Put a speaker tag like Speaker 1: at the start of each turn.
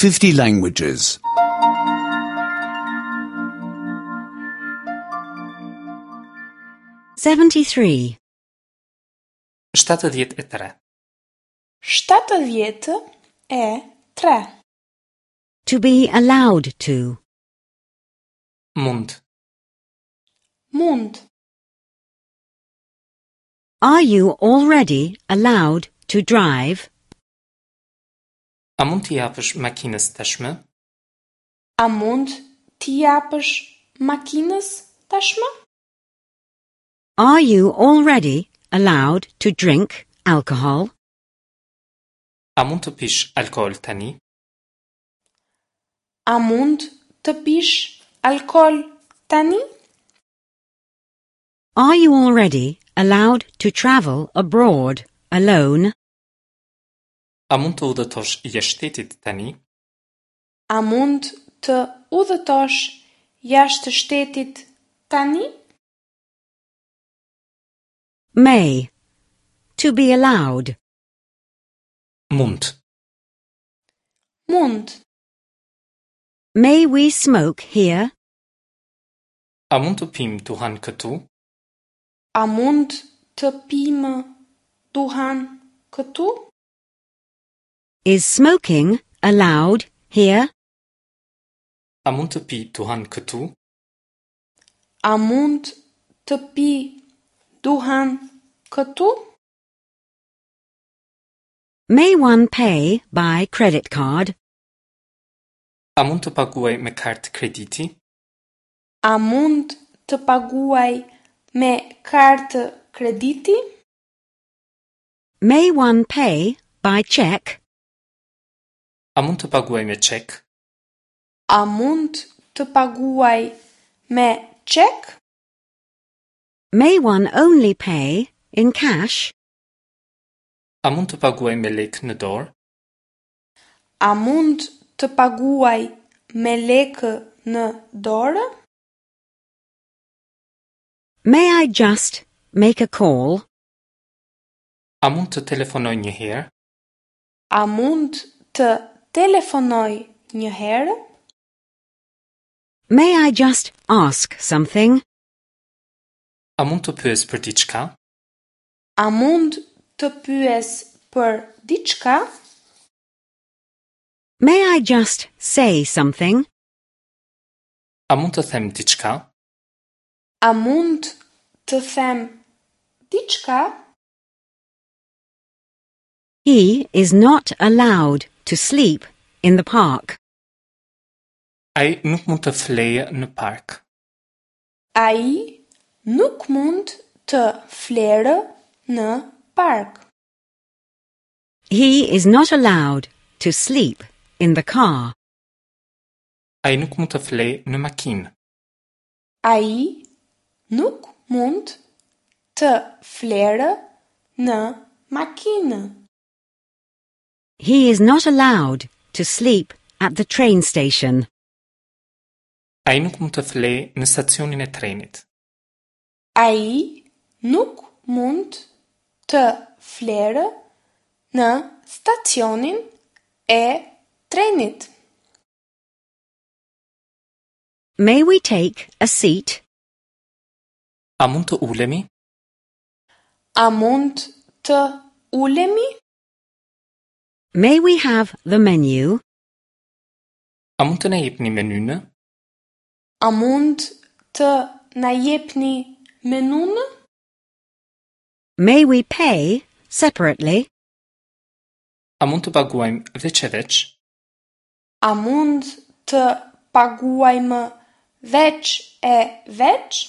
Speaker 1: 50 languages.
Speaker 2: 73.
Speaker 3: 73.
Speaker 4: 73.
Speaker 2: To be allowed to.
Speaker 3: Mund.
Speaker 4: Mund.
Speaker 2: Are you already allowed to drive?
Speaker 3: A mund t'i japësh makinës tashmë?
Speaker 4: A mund t'i japësh makinës tashmë?
Speaker 2: Are you already allowed to drink alcohol?
Speaker 3: A mund të pish alkool tani?
Speaker 4: A mund të pish alkool tani?
Speaker 2: Are you already allowed to travel abroad alone?
Speaker 3: A mund të udhëtosh jashtë shtetit tani?
Speaker 4: A mund të udhëtosh jashtë shtetit tani?
Speaker 2: May. To be allowed.
Speaker 3: Mund.
Speaker 4: Mund.
Speaker 2: May we smoke here?
Speaker 3: A mund të pimë duhan këtu?
Speaker 4: A mund të pimë duhan këtu?
Speaker 2: Is smoking allowed here?
Speaker 3: A mund të pi duhan këtu?
Speaker 4: A mund të pi duhan këtu?
Speaker 2: May one pay by credit card?
Speaker 3: A mund të paguaj me kartë krediti?
Speaker 4: A mund të paguaj me kartë krediti?
Speaker 2: May one pay by check?
Speaker 3: A mund të paguaj me çek?
Speaker 4: A mund të paguaj me çek?
Speaker 2: May one only pay in cash?
Speaker 3: A mund të paguaj me lekë në dorë?
Speaker 4: A mund të paguaj me lekë në dorë?
Speaker 2: May I just make a call?
Speaker 3: A mund të telefonoj një herë?
Speaker 4: A mund të telefonoj një herë?
Speaker 2: May I just ask something?
Speaker 3: A mund të pyes për diçka?
Speaker 4: A mund të pyes për diçka?
Speaker 2: May I just say something?
Speaker 3: A mund të them diçka?
Speaker 4: A mund të them diçka?
Speaker 2: He is not allowed to sleep in the park.
Speaker 3: Ai nuk mund të flejë në park.
Speaker 4: Ai nuk mund të flerë në park.
Speaker 2: He is not allowed to sleep in the car.
Speaker 3: Ai nuk mund të flejë në makinë.
Speaker 4: Ai nuk mund të flerë në makinë.
Speaker 2: He is not allowed to sleep at the train station.
Speaker 3: Ai nuk mund të flejë në stacionin e trenit.
Speaker 4: Ai nuk mund të flerë në stacionin e trenit.
Speaker 2: May we take a seat?
Speaker 3: A mund të ulemi?
Speaker 4: A mund të ulemi?
Speaker 2: May we have the menu?
Speaker 3: A mund të na jepni menynë?
Speaker 4: A mund të na jepni menunë?
Speaker 2: May we pay separately?
Speaker 3: A mund të paguajmë veç e veç?
Speaker 4: A mund të paguajmë veç e veç?